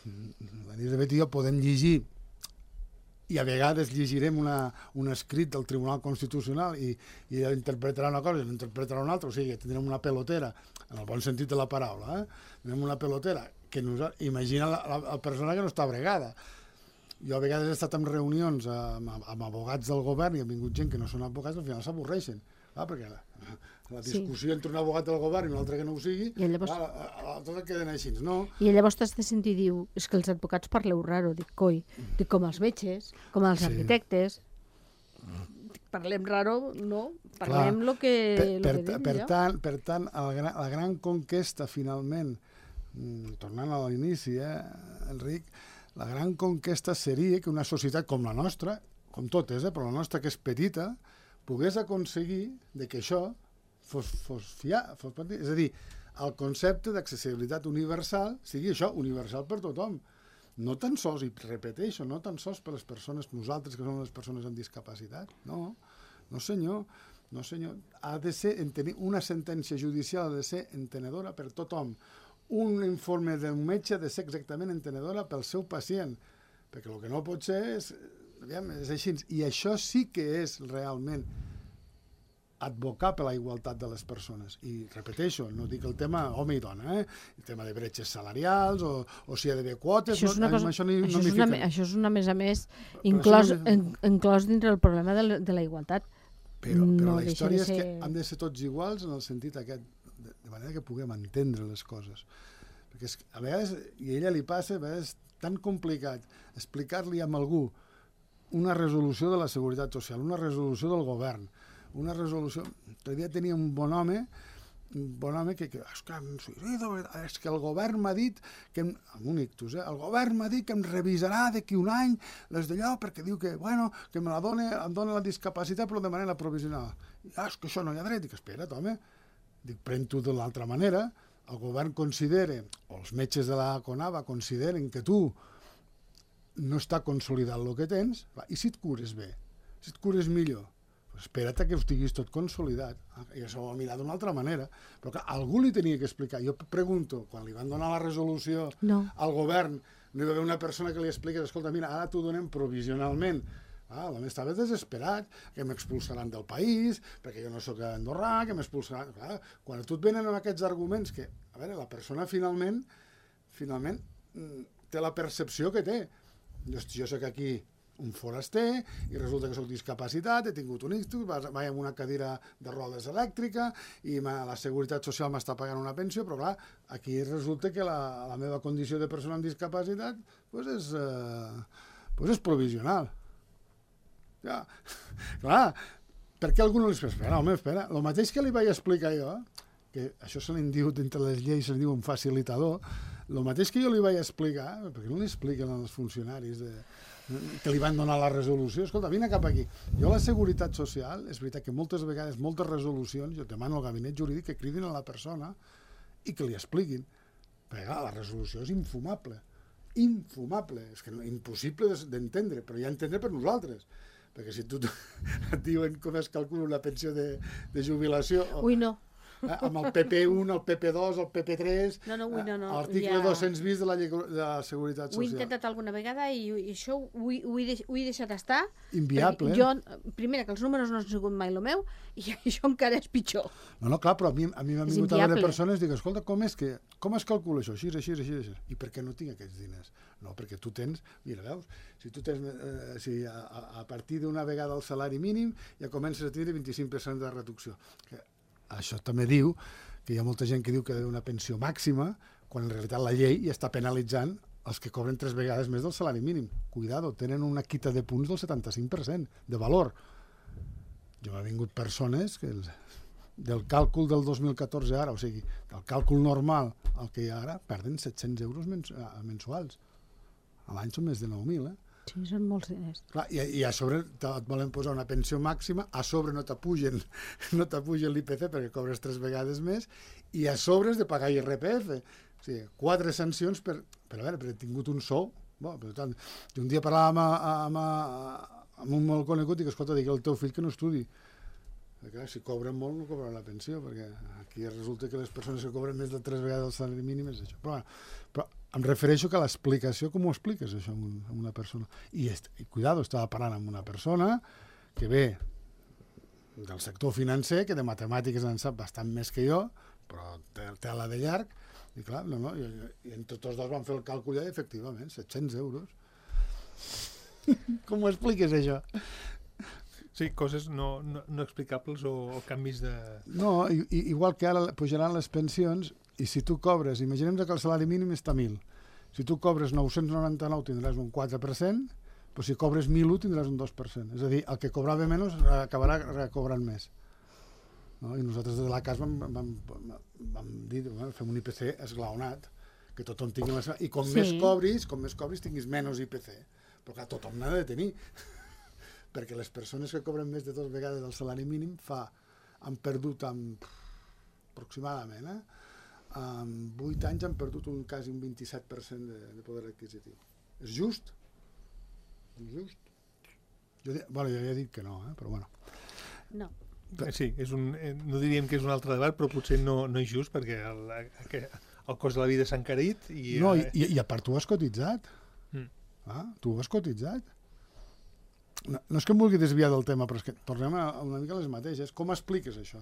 l'Elisabet i jo podem llegir i a vegades llegirem un escrit del Tribunal Constitucional i interpretarà una cosa i l'interpretarà una altra, o sigui, tindrem una pelotera, en el bon sentit de la paraula, tindrem una pelotera que imagina la persona que no està bregada. Jo a vegades he estat en reunions amb abogats del govern i ha vingut gent que no són abogats i al final s'avorreixen, perquè la discussió entre un abogat del govern i un altre que no ho sigui, tot queden així, no? I llavors t'has de sentir i diu, és que els advocats parleu raro, dic, coi, dic, com els metges, com els arquitectes, parlem raro, no? Parlem el que dic jo. Per tant, la gran conquesta, finalment, tornant a l'inici, Enric, la gran conquesta seria que una societat com la nostra, com totes, però la nostra que és petita, pogués aconseguir que això fos és a dir, el concepte d'accessibilitat universal sigui això, universal per tothom. No tan sols, i repeteixo, no tan sols per les persones, nosaltres que som les persones amb discapacitat, no senyor, ha de ser, una sentència judicial ha de ser entenedora per tothom. Un informe d'un metge ha de ser exactament entenedora pel seu pacient, perquè el que no pot ser és així. I això sí que és realment advocar per la igualtat de les persones. I repeteixo, no dic el tema home i dona, el tema de bretxes salarials o si hi ha d'haver quotes, això és una, a més a més, inclòs dintre el problema de la igualtat. Però la història és que han de ser tots iguals en el sentit aquest, de manera que puguem entendre les coses. Perquè a vegades, i a ella li passa, a vegades és tan complicat explicar-li a algú una resolució de la Seguretat Social, una resolució del govern, una resolució... L'altre tenia un bon home que és que el govern m'ha dit que, amb un ictus, el govern m'ha dit que em revisarà d'aquí un any les d'allò perquè diu que, bueno, que em dona la discapacitat però de manera provisional. És que això no hi ha dret. Dic, espera't, home. Dic, pren-t'ho de l'altra manera. El govern considera, o els metges de la CONAVA consideren que tu no està consolidat el que tens, i si et cures bé, si et cures millor, espera't que ho estiguis tot consolidat. I això ho va mirar d'una altra manera. Però que algú li tenia que explicar. Jo pregunto, quan li van donar la resolució al govern, no hi va haver una persona que li expliqués, escolta, mira, ara t'ho donem provisionalment. L'home estava desesperat, que m'expulsaran del país, perquè jo no sóc andorrà, que m'expulsaran... Quan a tu et venen amb aquests arguments que, a veure, la persona finalment té la percepció que té. Jo sóc aquí un foraster i resulta que soc discapacitat, he tingut un ictus, vaig amb una cadira de rodes elèctrica i la Seguretat Social m'està pagant una pensió, però clar, aquí resulta que la meva condició de persona amb discapacitat és provisional. Ja, clar, per què algú no li espera? Home, espera, el mateix que li vaig explicar jo, que això se li diu, dintre les lleis se li diu un facilitador, el mateix que jo li vaig explicar, perquè no li expliquen als funcionaris que li van donar la resolució, escolta, vine cap aquí. Jo la Seguretat Social, és veritat que moltes vegades, moltes resolucions, jo demano al gabinet jurídic que cridin a la persona i que li expliquin, perquè clar, la resolució és infumable, és que impossible d'entendre, però ja entendre per nosaltres, perquè si tu et diuen com es calcula una pensió de jubilació... Ui, no. Amb el PP1, el PP2, el PP3, l'article 220 de la llei de la Seguretat Social. Ho he intentat alguna vegada i això ho he deixat estar. Inviable. Jo, primera, que els números no han sigut mai el meu, i això encara és pitjor. No, clar, però a mi m'han vingut a veure persones i dic, escolta, com es calcula això? Així. I per què no tinc aquests diners? No, perquè tu tens, mira, veus, si tu tens, a partir d'una vegada el salari mínim ja comences a tenir 25% de reducció. això també diu que hi ha molta gent que diu que ha d'haver una pensió màxima, quan en realitat la llei ja està penalitzant els que cobren 3 vegades més del salari mínim. Cuidado, tenen una quita de punts del 75% de valor. Jo m'ha vingut persones que del càlcul del 2014 ara, o sigui, del càlcul normal al que hi ha ara, perden 700 euros mensuals. A l'any són més de 9.000, Sí, són molts diners. Clar, i a sobre et volen posar una pensió màxima, a sobre no t'apugen l'IPC perquè cobres 3 vegades més, i a sobre has de pagar IRPF. O sigui, 4 sancions per a veure, per he tingut un sou. Per tant, un dia parlàvem amb un molt conegut i que, escolta, digui al teu fill que no estudi. Perquè, si cobren molt, no cobren la pensió, perquè aquí resulta que les persones que cobren més de 3 vegades el salari mínim és això. Però em refereixo que l'explicació, com ho expliques això a una persona? I cuidado, estava parlant amb una persona que ve del sector financer, que de matemàtiques en sap bastant més que jo, però té la de llarg, i clar, i entre tots dos van fer el càlcul i efectivament, 700 euros. Com ho expliques, això? Sí, coses no explicables o canvis de... No, igual que ara pujaran les pensions, i si tu cobres, imaginem que el salari mínim està a 1.000. Si tu cobres 999 tindràs un 4%, però si cobres 1.001 tindràs un 2%. És a dir, el que cobrava menys acabarà recobrant més. I nosaltres des de la CAS vam dir, fem un IPC esglaonat, que tothom tingui la seva... I com més cobris, tinguis menys IPC. Però clar, tothom n'ha de tenir. Perquè les persones que cobren més de 2 vegades el salari mínim han perdut aproximadament, en 8 anys han perdut quasi un 27% de poder adquisitiu. És just? És just? Jo ja he dit que no, però bueno. No. Sí, no diríem que és un altre debat, però potser no és just, perquè el cost de la vida s'ha encarit. I a part tu has cotitzat. Tu has cotitzat. No és que em vulgui desviar del tema, però és que tornem una mica a les mateixes. Com expliques això?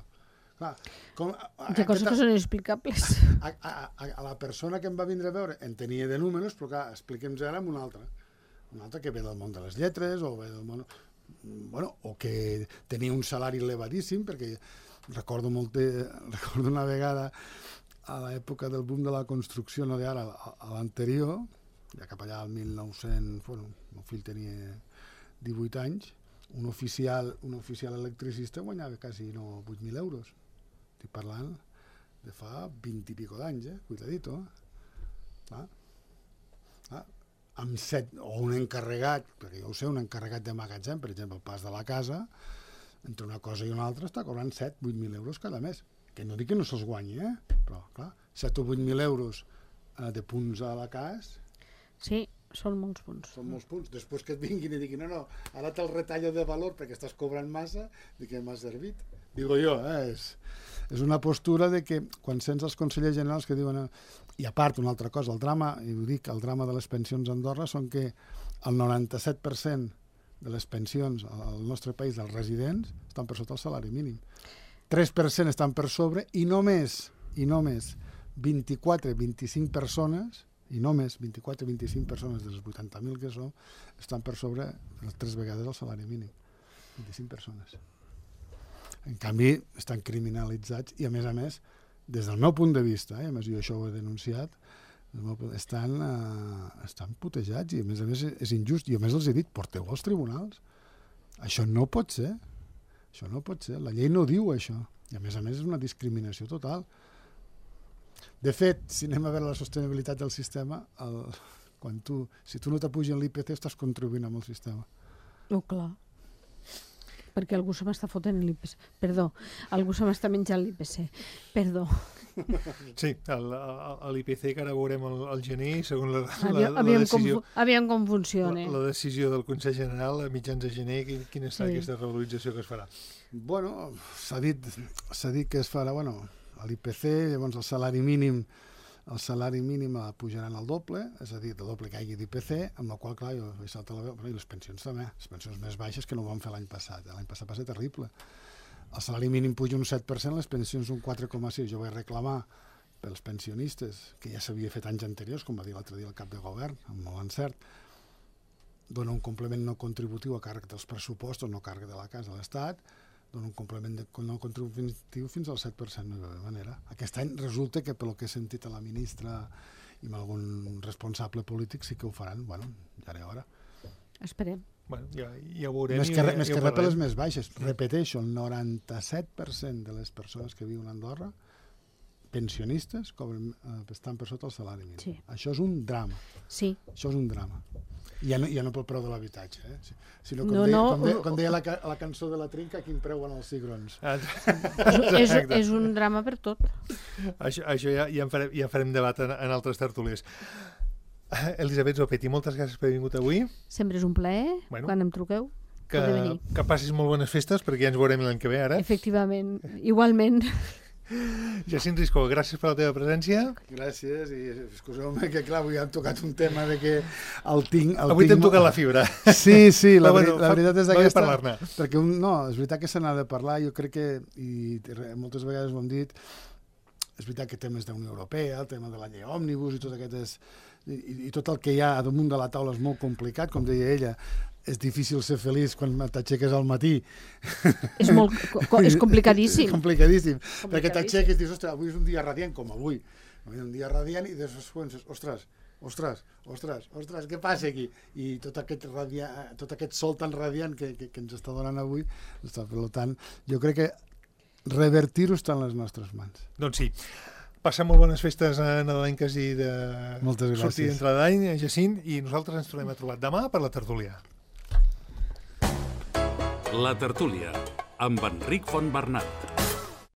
Clar, hi ha coses que són inexplicables. A la persona que em va vindre a veure en tenia de números, però clar, expliquem-nos ara amb una altra que ve del món de les lletres o ve del món... o que tenia un salari elevadíssim, perquè recordo una vegada a l'època del boom de la construcció, no d'ara, a l'anterior, ja cap allà al 1900, el meu fill tenia 18 anys, un oficial electricista guanyava quasi 8.000 euros. Estic parlant de fa 20 i pico d'anys, cuidadito. Amb 7, o un encarregat, perquè jo ho sé, un encarregat de magatzem, per exemple, al Pas de la Casa, entre una cosa i una altra està cobrant 7-8.000 euros cada mes. Que no dic que no se'ls guanyi, però clar, 7 o 8.000 euros de punts a la CAS... Sí, són molts punts. Són molts punts. Després que et vinguin i diguin no, ara te'l retallo de valor perquè estàs cobrant massa, de què m'ha servit? Digo jo, és una postura de que quan sents els consellers generals que diuen... I a part, una altra cosa, el drama, i ho dic, el drama de les pensions a Andorra són que el 97% de les pensions al nostre país dels residents estan per sota el salari mínim. 3% estan per sobre i només 24-25 persones i només 24-25 persones de les 80.000 que som estan per sobre les 3 vegades el salari mínim. 25 persones. En canvi, estan criminalitzats i, a més, des del meu punt de vista, a més jo això ho he denunciat, estan putejats i, a més, és injust. I, a més, els he dit, porteu als tribunals. Això no pot ser. Això no pot ser. La llei no diu això. I, a més, és una discriminació total. De fet, si anem a veure la sostenibilitat del sistema, si tu no t'apugen l'IPC, estàs contribuint amb el sistema. Clar. Perquè algú se m'està fotent l'IPC. Perdó, algú se m'està menjant l'IPC. Perdó. Sí, l'IPC que ara veurem al gener, segons la decisió... Aviam com funciona. La decisió del Consell General a mitjans de gener, quina serà aquesta revalorització que es farà? Bueno, s'ha dit que es farà, l'IPC, llavors el salari mínim pujaran al doble, és a dir, el doble que hi hagi d'IPC, amb la qual, clar, jo he saltat la veu, i les pensions també, les pensions més baixes que no ho vam fer l'any passat. L'any passat va ser terrible. El salari mínim puja un 7%, les pensions un 4,6%. Jo vaig reclamar pels pensionistes, que ja s'havia fet anys anteriors, com va dir l'altre dia el cap de govern, amb molt encert, dona un complement no contributiu a càrrec dels pressupostos, no a càrrec de la CAS de l'Estat, dona un complement no contributiu fins al 7%, no hi va haver manera. Aquest any resulta que, pel que he sentit a la ministra i amb algun responsable polític, sí que ho faran. Bueno, ja era hora. Esperem. Bueno, ja ho veurem. Més que res per les més baixes. Repeteixo, el 97% de les persones que viuen a Andorra, pensionistes, estan per sota el salari mínim. Sí. Això és un drama. Sí. Això és un drama. Ja no pel preu de l'habitatge, sinó com deia la cançó de la Trinca, quin preu van els cigrons. És un drama per tot. Això ja en farem debat en altres tertúlies. Elisabet Zopetti, moltes gràcies per haver vingut avui. Sempre és un plaer, quan em truqueu. Que passis molt bones festes, perquè ja ens veurem l'any que ve, ara. Efectivament, igualment. Jacint Risco, gràcies per la teva presència. Gràcies, i excuseu-me que clar, avui hem tocat un tema de que el tinc... Avui t'hem tocat la fibra. Sí, la veritat és aquesta, perquè és veritat que se n'ha de parlar, jo crec que, i moltes vegades ho hem dit, és veritat que temes d'Unió Europea, el tema de la llei òmnibus i tot aquestes... I tot el que hi ha damunt de la taula és molt complicat, com deia ella, és difícil ser feliç quan t'aixeques al matí. És complicadíssim. Complicadíssim, perquè t'aixeques i dius, ostres, avui és un dia radiant, com avui. Un dia radiant i després penses, ostres, què passa aquí? I tot aquest sol tan radiant que ens està donant avui, per tant, jo crec que revertir-ho està en les nostres mans. Doncs sí. Passem molt bones festes nadalenques i de sortir d'entrada d'any, Jacint, i nosaltres ens tornem a trobar demà per la tertúlia. La tertúlia, amb Enric Fontbernat.